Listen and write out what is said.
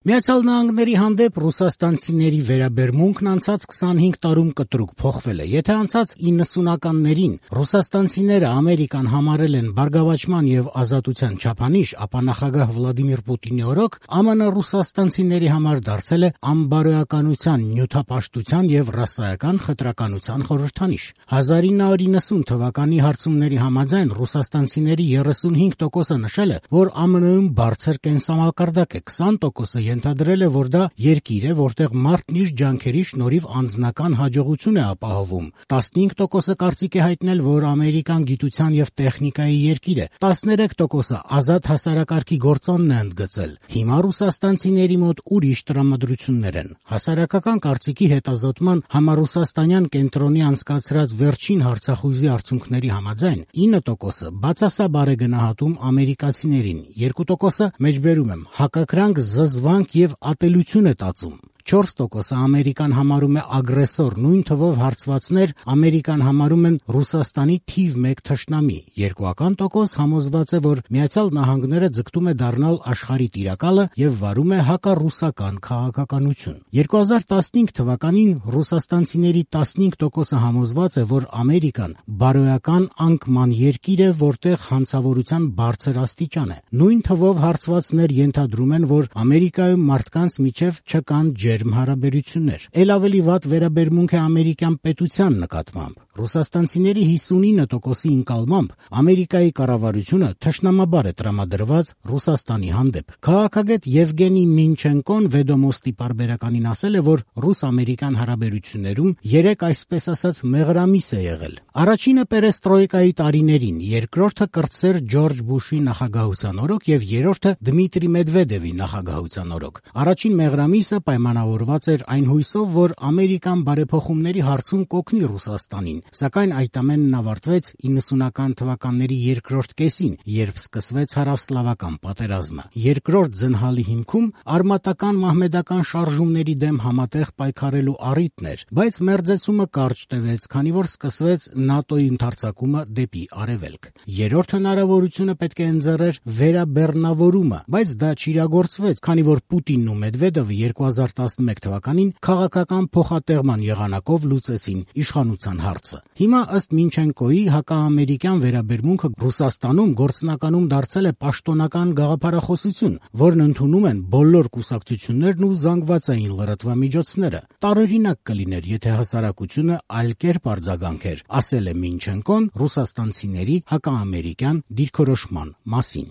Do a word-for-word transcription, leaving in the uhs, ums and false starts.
Միացյալ Նահանգների հանդեպ ռուսաստանցիների վերաբերմունքն անցած քսանհինգ տարում կտրուկ փոխվել է։ Եթե անցած իննսունականներին ռուսաստանցիները Ամերիկան համարել են բարգավաճման եւ ազատության չափանիշ, ապա նախագահ Վլադիմիր Պուտինի օրոք ԱՄՆ ռուսաստանցիների համար դարձել է անբարոյականության, նյութապաշտության եւ ռասայական խտրականության խորհրդանիշ։ հազար ինը հարյուր իննսուն թվականի հարցումների համաձայն ռուսաստանցիների երեսունհինգ տոկոսը նշել է, որ ԱՄՆ-ում բարձր կենսամակարդակ է, քսան տոկոսը ենթադրել է, որ դա երկիր է, որտեղ մարդն իր ջանքերի շնորհիվ անձնական հաջողություն է ապահովում։ տասնհինգ տոկոսը կարծիք է հայտնել, որ Ամերիկան գիտության եւ տեխնիկայի երկիր է։ տասներեք տոկոսը ազատ հասարակարգի գործոնն է ընդգծել։ Հիմա ռուսաստանցիների մոտ ուրիշ տրամադրություններ են։ Հասարակական կարծիքի հետազոտման համառուսաստանյան կենտրոնի անցկացրած վերջին հարցախույզի արդյունքների համաձայն ինը տոկոսը բացասաբար է գնահատում ամերիկացիներին, երկու տոկոսը մեջբերում եմ հակակրանք, զզվանք եւ ատելություն է տածում։ չորս տոկոսը Ամերիկան համարում է ագրեսոր, նույն թվով հարցվածներ Ամերիկան համարում են Ռուսաստանի թիվ մեկ թշնամի։ Երկուական տոկոս համոզված է, որ Միացյալ Նահանգները ձգտում է դառնալ աշխարհի տիրակալը եւ վարում է հակառուսական քաղաքականություն։ երկու հազար տասնհինգ թվականին ռուսաստանցիների տասնհինգ տոկոսը համոզված է, որ Ամերիկան բարոյական անկման երկիր է, որտեղ հանցավորության բարձր աստիճան է։ Նույն թվով հարցվածներ ենթադրում են, որ Ամերիկայում մարդկանց միջև չկան ջերմ հարաբերություններ։ Էլ ավելի վատ վերաբերմունք է ամերիկյան պետության նկատմամբ։ Ռուսաստանցիների հիսունինը տոկոսի ընկալմամբ Ամերիկայի կառավարությունը թշնամաբար է տրամադրված Ռուսաստանի հանդեպ։ Քաղաքագետ Եվգենի Մինչենկոն Վեդոմոստի պարբերականին ասել է, որ ռուս-ամերիկյան հարաբերություններում երեք այսպես ասած մեղրամիս է եղել։ Առաջինը պերեստրոյկայի տարիներին, երկրորդը կրտսեր Ջորջ Բուշի նախագահության օրոք եւ երրորդը Դմիտրի Մեդվեդևի նախագահության օրոք։ Առաջին մեղրամիսը պայմանավորված էր այն հույսով, որ Ամերիկան բարեփոխումների հարցում կօգնի Ռուսաստանին, սակայն այդ ամենն ավարտվեց իննսունական թվականների երկրորդ կեսին, երբ սկսվեց հարավսլավական պատերազմը։ Երկրորդ ձնհալի հիմքում արմատական մահմեդական շարժումների դեմ համատեղ պայքարելու առիթն էր, բայց մերձեցումը կարճ տևեց, քանի որ սկսվեց ՆԱՏՕ-ի ընդարձակումը դեպի արևելք։ Երրորդ հնարավորությունը պետք է ընձեռեր վերաբեռնավորումը, բայց դա չիրագործվեց, քանի որ Պուտինն ու Մեդվեդևը երկու հազար տասնմեկ թվականին քաղաքական փոխատեղման եղանակով լուծեցին իշխանության հարցը։ Հիմա ըստ Մինչենկոյի հակաամերիկյան վերաբերմունքը Ռուսաստանում գործնականում դարձել է պաշտոնական գաղափարախոսություն, որն ընդունում են բոլոր կուսակցություններն ու զանգվածային լրատվամիջոցները։ Տարօրինակ կլիներ, եթե հասարակությունը այլ կերպ արձագանքեր, ասել է Մինչենկոն ռուսաստանցիների հակաամերիկյան դիրքորոշման մասին։